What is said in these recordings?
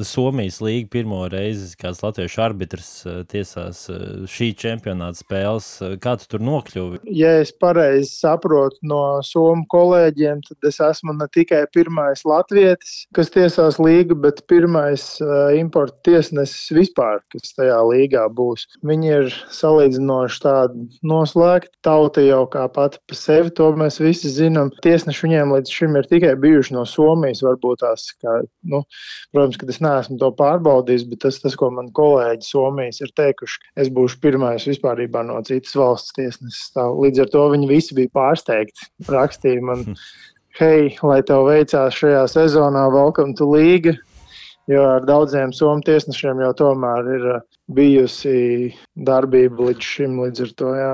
Somijas līga pirmo reizi kāds latviešu arbitrs tiesās šī čempionāta spēles. Kā tu tur nokļuvi? Ja es pareizi saprotu no somu kolēģiem, tad es esmu ne tikai pirmais latvietis, kas tiesās līgu, bet pirmais importa tiesnesis vispār, kas tajā līgā būs. Viņi ir salīdzinoši tādi noslēgti. Tauta jau kā pati pa sevi, to mēs visi zinām. Tiesneši viņiem līdz šim ir tikai bijuši no Somijas, varbūt tās, protams, ka es neesmu to pārbaudījis, bet tas, ko man kolēģi Somijas ir teikuši, es būšu pirmais vispārībā no citas valsts tiesnesis. Līdz ar to viņi visi bija pārsteigti. Rakstīja man, hei, lai tev veicās šajā sezonā, welcome to līga, jo ar daudziem somu tiesnešiem jau tomēr ir bijusi darbība līdz šim, līdz ar to, jā.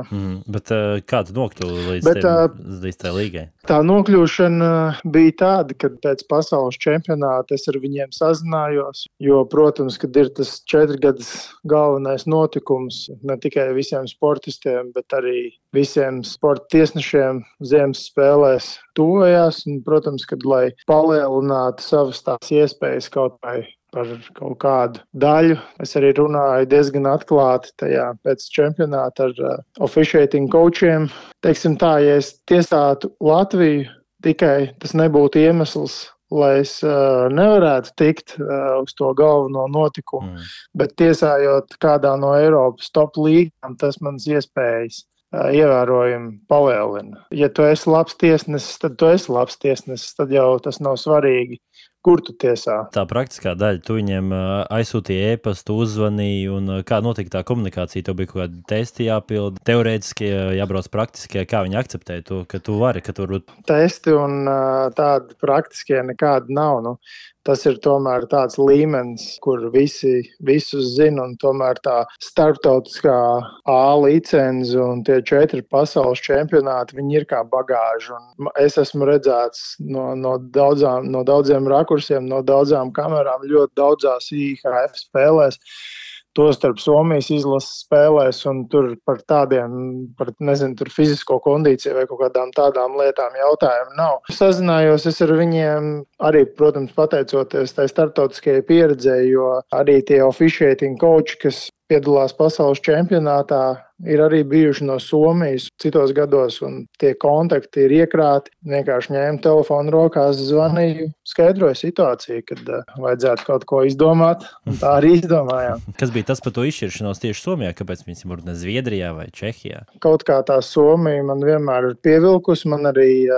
Bet kā tu nokļuvi līdz tai līgai? Tā nokļūšana bija tāda, kad pēc pasaules čempionāta es ar viņiem sazinājos, jo, protams, kad ir tas 4 gadus galvenais notikums ne tikai visiem sportistiem, bet arī visiem sporta tiesnešiem ziemas spēlēs tuvojās, un, protams, kad, lai palielinātu savas tās iespējas kaut vai par kaut kādu daļu. Es arī runāju diezgan atklāti tajā pēc čempionāta ar officiating coachiem. Teiksim tā, ja es tiesātu Latviju, tikai tas nebūtu iemesls, lai es nevarētu tikt uz to galveno notikumu, bet tiesājot kādā no Eiropas top līgām, tas manas iespējas ievērojami palielina. Ja tu esi labs tiesnesis, tad tu esi labs tiesnesis, tad jau tas nav svarīgi, kur tu tiesā. Tā praktiskā daļa, tu viņiem aizsūtīji e-pastu, uzvanīji, un kā notika tā komunikācija? Tev bija kaut kādi testi jāpilda, teorētiski jābrauc praktiskie, kā viņi akceptē to, ka tu vari, ka tu... Testi un tādi praktiskie nekādi nav, Tas ir tomēr tāds līmenis, kur visus zina, un tomēr tā starptautiskā A licenze un tie 4 pasaules čempionāti, viņi ir kā bagāža. Un es esmu redzēts no daudziem rakursiem, no daudzām kamerām, ļoti daudzās IHF spēlēs. Tostarp Somijas izlases spēlēs, un tur par tur fizisko kondīciju vai kaut kādām tādām lietām jautājumu nav. Sazinājos es ar viņiem arī, protams, pateicoties tai starptautiskajai pieredzei, jo arī tie officiating coachi, kas piedalās pasaules čempionātā, ir arī bijuši no Somijas citos gados, un tie kontakti ir iekrāti. Vienkārši ņēmu telefonu rokās, zvanīju, skaidroju situāciju, kad vajadzētu kaut ko izdomāt, un tā arī izdomājām. Kas bija tas par to izšķiršanos tieši Somijā? Kāpēc viņas varbūt ne Zviedrijā vai Čehijā? Kaut kā tā Somija man vienmēr ir pievilkusi. Man arī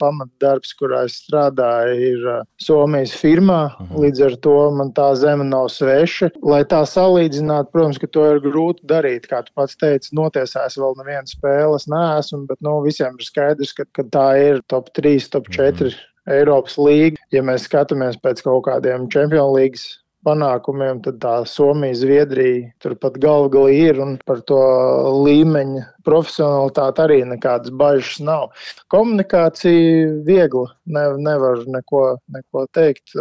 pamatdarbs, kurā es strādāju, ir Somijas firmā. Līdz ar to man tā zeme nav sveša. Lai tā salīdzinātu, protams, ka to ir grūti darīt. Kā tu pats teici, notiesājis vēl nevienu spēli, es neesmu, bet visiem ir skaidrs, ka tā ir top 3, top 4 Eiropas līga. Ja mēs skatāmies pēc kaut kādiem Champions Leagues panākumiem, tad tā Somija, Zviedrija turpat galvgalī ir, un par to līmeņa profesionalitāti arī nekādas bažas nav. Komunikācija viegla, nevar neko teikt.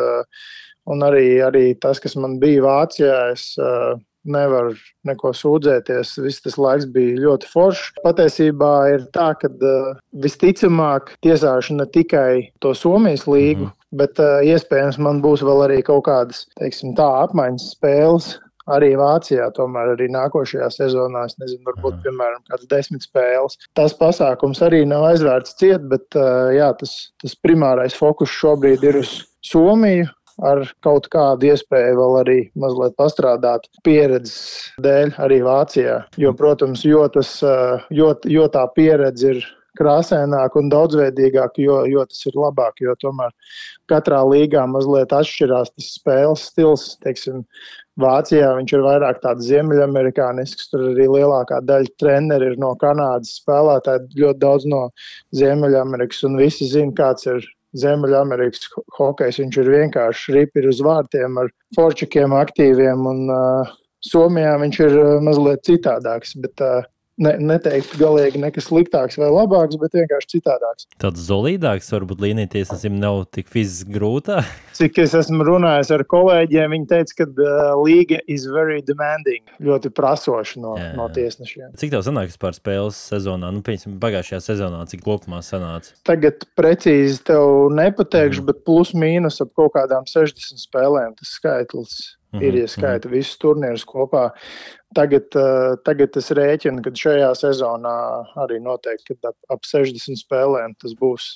Un arī tas, kas man bija Vācijā, es nevaru neko sūdzēties. Viss tas laiks bija ļoti foršs. Patiesībā ir tā, ka visticamāk tiesāšu ne tikai to Somijas līgu, bet iespējams man būs vēl arī kaut kādas, apmaiņas spēles arī Vācijā. Tomēr arī nākošajā sezonā, es nezinu, varbūt, piemēram, kāds 10 spēles. Tas pasākums arī nav aizvērts ciet, bet tas primārais fokus šobrīd ir uz Somiju, ar kaut kādu iespēju vēl arī mazliet pastrādāt pieredzes dēļ arī Vācijā. Jo, protams, jo tā pieredze ir krāsaināka un daudzveidīgāka, jo tas ir labāk, jo tomēr katrā līgā mazliet atšķirās tas spēles stils. Vācijā viņš ir vairāk tāds ziemeļamerikānisks, tur arī lielākā daļa treneri ir no Kanādas, spēlētāji ļoti daudz no Ziemeļamerikas, un visi zina, kāds ir Ziemeļamerikas hokejs. Viņš ir vienkārši ripiri uz vārtiem ar forčikiem aktīviem, un Somijā viņš ir mazliet citādāks, bet neteiktu galīgi nekas sliktāks vai labāks, bet vienkārši citādāks. Tāds zolīdāks, varbūt līnija tiesnesim nav tik fiziski grūtā. Cik es esmu runājis ar kolēģiem, viņi teica, ka līga is very demanding, ļoti prasoša no tiesnešiem. Cik tev sanāk vispār spēles sezonā? Piemēram, pagājušajā sezonā, cik kopumā sanāca? Tagad precīzi tev nepateikšu, bet plus mīnus ap kaut kādām 60 spēlēm tas skaitlis ir, ja skaita visus turnīrus kopā. Tagad es rēķinu, ka šajā sezonā arī noteikti, kad ap 60 spēlēm tas būs